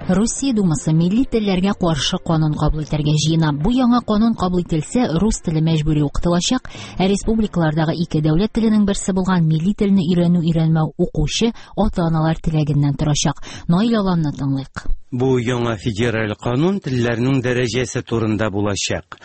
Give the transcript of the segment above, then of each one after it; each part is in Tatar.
Русия Думасы милли телләргә каршы канун кабул итәргә җыена. Бу яңа канун кабул ителсә, рус теле мәҗбүри укытылачак, ә республикалардагы ике дәүләт теленең берсе булган милли телне өйрәнү-өйрәнмәү укучы ата-аналар теләгеннән торачак. Наил Аланны тыңлыйк. Бу яңа федераль канун телләрнең дәрәҗәсе турында булачак.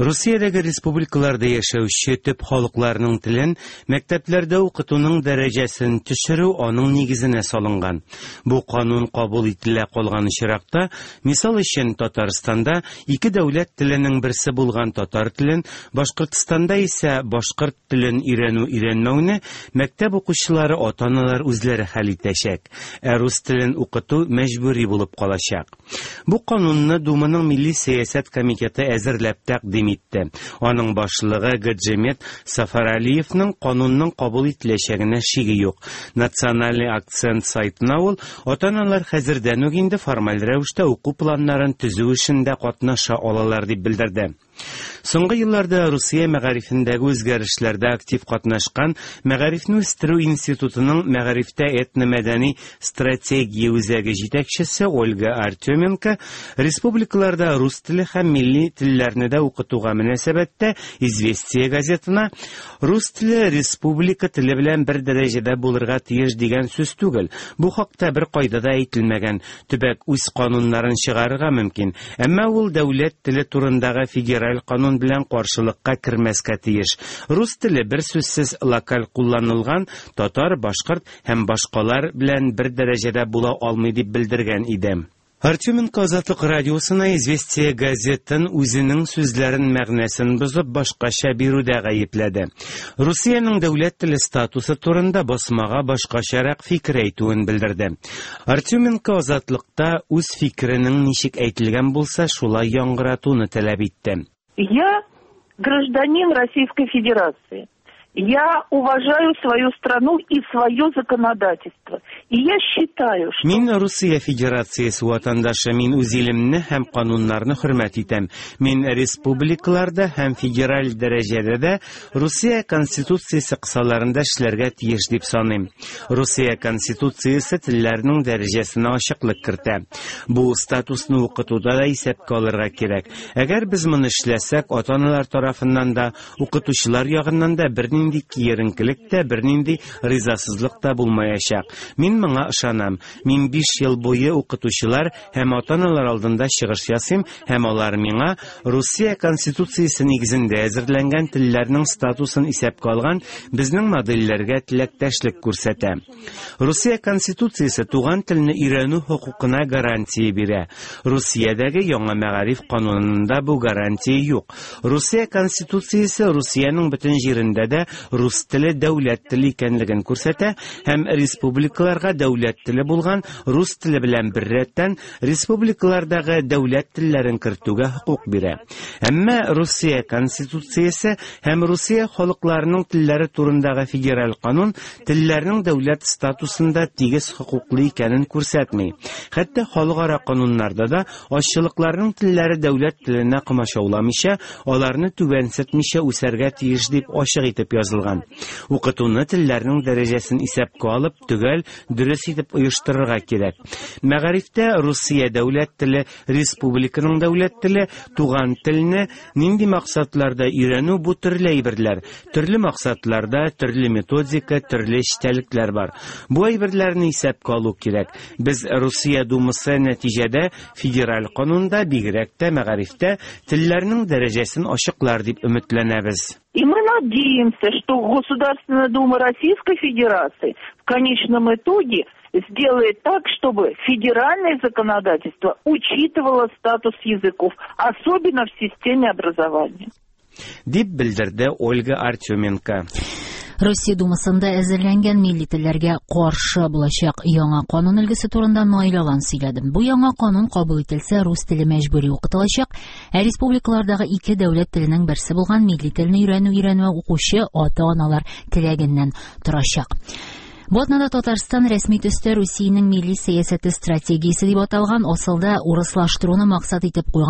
Русиядәге республикаларда яшәүче төп халыкларның телен мәктәпләрдә укытуның дәрәҗәсен төшерү аның нигезенә салынган. Бу канун кабул ителә калган очракта, мисал өчен, Татарстанда ике дәүләт теленең берсе булган татар телен, Башкортстанда исә башкорт телен өйрәнү-өйрәнмәүне мәктәп укучылары, ата-аналар үзләре хәл итәчәк. Ә рус телен укыту мәҗбүри булып калачак. Бу канунны Думаның Милли сәясәт комитеты әзерләп тәкъдим итте. Аның башлыгы Гаджимет Сафаралиевның канунның кабул ителәчәгенә шиге юк. Национальный акцент сайтына ул ата-аналар хәзердән үк инде формаль рәвештә уку планнарын төзү эшендә катнаша алалар дип белдерде. Соңгы елларда Русия мәгарифендәге үзгәрешләрдә актив катнашкан Мәгарифне үстерү институтының мәгарифтә этномәдәни стратегия үзәге җитәкчесе Ольга Артеменко республикаларда рус теле һәм милли телләрне дә укытуга мөнәсәбәттә Известия газетына рус теле республика теле белән бер дәрәҗәдә булырга тиеш дигән сүз түгел. Бу хакта бер кайда да әйтелмәгән. Төбәк үз кануннарын чыгарырга мөмкин, әмма ул дәүләт теле турындагы федераль канун белән каршылыкка кермәскә тиеш. Рус теле берсүзсез локаль кулланылган татар, башкорт һәм башкалар белән бер дәрәҗәдә була алмый дип белдергән иде. Артеменко Азатлык радиосына Известия газетын үзенең сүзләрен мәгънәсен бозып башкача бирүдә гаепләде. Русиянең дәүләт теле статусы турында басмага башкачарак фикер әйтүен белдерде. Артеменко Азатлыкта үз фикеренең ничек әйтелгән булса, шулай яңгыратуны таләп итте. Я гражданин Российской Федерации. Я уважаю свою страну и свое законодательство. И я считаю, что... Мин Русия Федерациясе ватандашы, мин үз илемне һәм кануннарны хөрмәт итәм. Мин республикаларда һәм федераль дәрәҗәдә дә Русия Конституциясе кысаларында эшләргә тиеш дип саныйм. Русия Конституциясе телләрнең дәрәҗәсенә ачыклык кертә. Бу статусны укытуда да исәпкә алырга кирәк. Әгәр без моны эшләсәк, ата-аналар тарафыннан да, укытучылар ягыннан да бернинди киеренкелек тә, бернинди ризасызлык та булмаячак. Мин моңа ышанам. Мин 5 ел буе укытучылар һәм ата-аналар алдында чыгыш ясыйм һәм алар миңа Русия Конституциясе нигезендә әзерләнгән телләрнең статусын исәпкә алган безнең модельләргә теләктәшлек күрсәтә. Русия Конституциясе туган телне өйрәнү хокукына гарантия бирә. Русиядәге яңа мәгариф канунында бу гарантия юк. Русия Конституциясе Русиянең бөтен җирендә дә рус теле дәүләт теле икәнлеген күрсәтә һәм республикаларга дәүләт теле булган рус теле белән беррәттән республикалардагы дәүләт телләрен кертүгә хокук бирә. Әмма Русия Конституциясе һәм Русия халыкларының телләре турындагы федераль канун телләрнең дәүләт статусында тигез хокуклы икәнен күрсәтми. Хәтта халыкара кануннарда да азчылыкларның телләре дәүләт теленә комачауламыйча, аларны түбәнсетмичә үсәргә тиеш дип ачык итеп язылган. Укытуны телләрнең дәрәҗәсен исәпкә алып, төгәл, дөрес итеп оештырырга кирәк. Мәгарифтә Русия дәүләт теле, республиканың дәүләт теле, туган телне нинди максатларда өйрәнү бу төрле әйберләр. Төрле максатларда, төрле методика, төрле эчтәлекләр бар. Бу әйберләрне исәпкә алу кирәк. Без Русия Думасы нәтиҗәдә федераль канунда, бигрәк тә мәгарифтә телләрнең дәрәҗәсен ачыклар дип өметләнәбез. И мы надеемся, что Государственная Дума Российской Федерации в конечном итоге сделает так, чтобы федеральное законодательство учитывало статус языков, особенно в системе образования. Дип белдерде Ольга Артеменко. Россия Думасында әзерләнгән милли телләргә каршы булачак яңа канун өлгесе турында Наил Алан сөйләде. Бу яңа канун кабул ителсә, рус теле мәҗбүри укытылачак, ә республикалардагы ике дәүләт теленең берсе булган милли телне өйрәнү-өйрәнмәү укучы ата-аналар теләгеннән торачак. Бу атнада Татарстан рәсми төстә Русиянең милли сәясәте стратегиясе дип аталган асылда урыслаштыруны максат итеп куйган